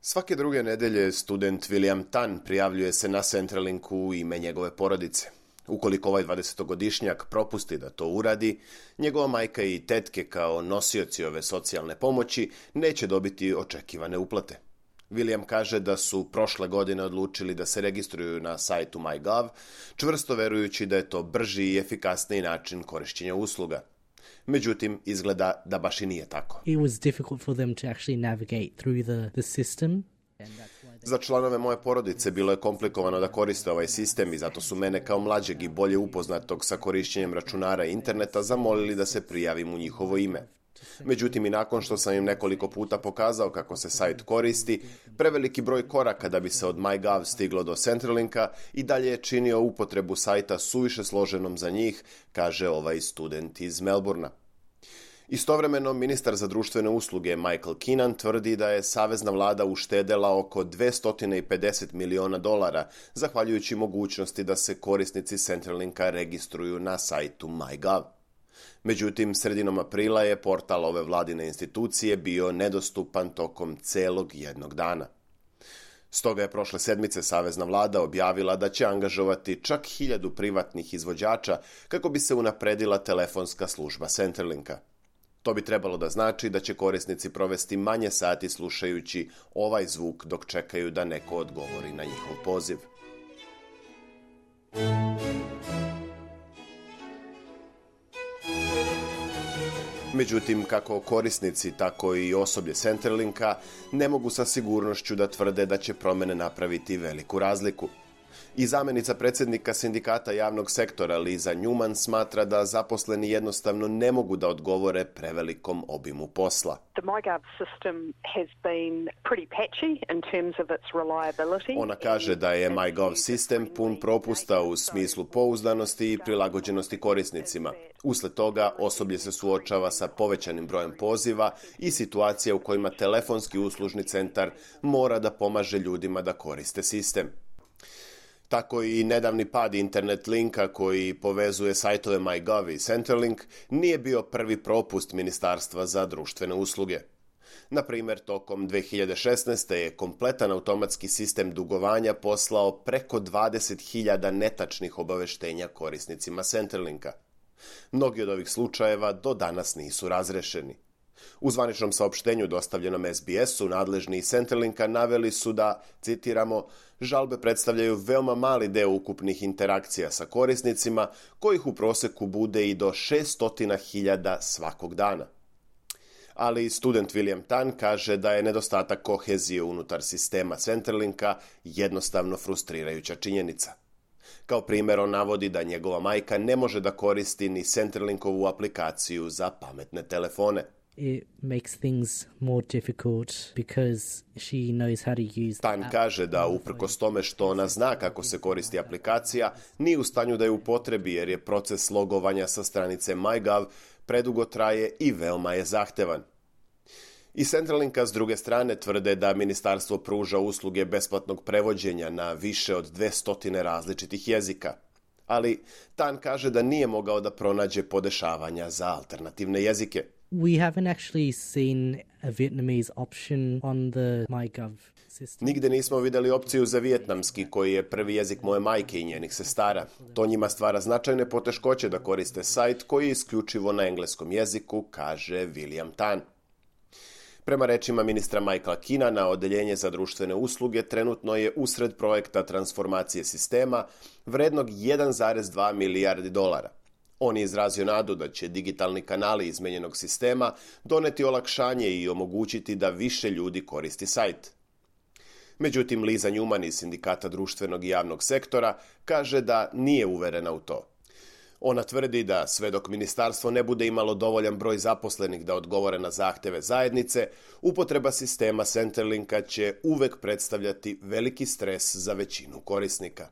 Svake druge nedelje student William Tan prijavljuje se na Centrelinku u ime njegove porodice. Ukoliko ovaj 20-godišnjak propusti da to uradi, njegova majka i tetke kao nosioci ove socijalne pomoći neće dobiti očekivane uplate. William kaže da su prošle godine odlučili da se registruju na sajtu MyGov, čvrsto verujući da je to brži i efikasniji način korišćenja usluga. Međutim, izgleda da baš i nije tako. It was difficult for them to actually navigate through the system. Za članove moje porodice bilo je komplikovano da koriste ovaj sistem i zato su mene kao mlađeg i bolje upoznatog sa korišćenjem računara i interneta zamolili da se prijavim u njihovo ime. Međutim, i nakon što sam im nekoliko puta pokazao kako se sajt koristi, preveliki broj koraka da bi se od MyGov stiglo do Centrelinka i dalje je činio upotrebu sajta suviše složenom za njih, kaže ovaj student iz Melbourna. Istovremeno, ministar za društvene usluge Michael Keenan tvrdi da je savezna vlada uštedela oko $250 miliona zahvaljujući mogućnosti da se korisnici Centrelinka registruju na sajtu MyGov. Međutim, sredinom aprila je portal ove vladine institucije bio nedostupan tokom celog jednog dana. Stoga je prošle sedmice savezna vlada objavila da će angažovati čak 1000 privatnih izvođača kako bi se unapredila telefonska služba Centrelinka. To bi trebalo da znači da će korisnici provesti manje sati slušajući ovaj zvuk dok čekaju da neko odgovori na njihov poziv. Međutim, kako korisnici, tako i osoblje Centrelinka ne mogu sa sigurnošću da tvrde da će promene napraviti veliku razliku. I zamjenica predsjednika sindikata javnog sektora Liza Newman smatra da zaposleni jednostavno ne mogu da odgovore prevelikom obimu posla. Ona kaže da je MyGov sistem pun propusta u smislu pouzdanosti i prilagođenosti korisnicima. Usled toga osoblje se suočava sa povećanim brojem poziva i situacija u kojima telefonski uslužni centar mora da pomaže ljudima da koriste sistem. Tako i nedavni pad internet linka koji povezuje sajtove MyGov i Centrelink nije bio prvi propust Ministarstva za društvene usluge. Na primjer, tokom 2016. je kompletan automatski sistem dugovanja poslao preko 20.000 netačnih obaveštenja korisnicima Centrelinka. Mnogi od ovih slučajeva do danas nisu razrešeni. U zvaničnom saopštenju dostavljenom SBS-u nadležni iz Centrelinka naveli su da, citiramo, žalbe predstavljaju veoma mali deo ukupnih interakcija sa korisnicima, kojih u proseku bude i do 600.000 svakog dana. Ali student William Tan kaže da je nedostatak kohezije unutar sistema Centrelinka jednostavno frustrirajuća činjenica. Kao primjer, on navodi da njegova majka ne može da koristi ni Centrelinkovu aplikaciju za pametne telefone. It makes things more difficult because she knows how to use. Tan kaže da uprkos tome što ona zna kako se koristi aplikacija, nije u stanju da je upotrebi jer je proces logovanja sa stranice MyGov predugo traje i veoma je zahtevan. I Centrelinka s druge strane tvrde da ministarstvo pruža usluge besplatnog prevođenja na više od 200 različitih jezika. Ali Tan kaže da nije mogao da pronađe podešavanja za alternativne jezike. We haven't actually seen a Vietnamese option on the MyGov system. Nigde nismo vidjeli opciju za vijetnamski, koji je prvi jezik moje majke i njenih sestara. To njima stvara značajne poteškoće da koriste sajt koji je isključivo na engleskom jeziku, kaže William Tan. Prema rečima ministra Michaela Keenana, Odeljenje za društvene usluge trenutno je usred projekta transformacije sistema vrednog $1,2 milijardi. On je izrazio nadu da će digitalni kanali izmenjenog sistema doneti olakšanje i omogućiti da više ljudi koristi sajt. Međutim, Liza Newman iz Sindikata društvenog i javnog sektora kaže da nije uverena u to. Ona tvrdi da sve dok ministarstvo ne bude imalo dovoljan broj zaposlenih da odgovore na zahteve zajednice, upotreba sistema Centrelinka će uvek predstavljati veliki stres za većinu korisnika.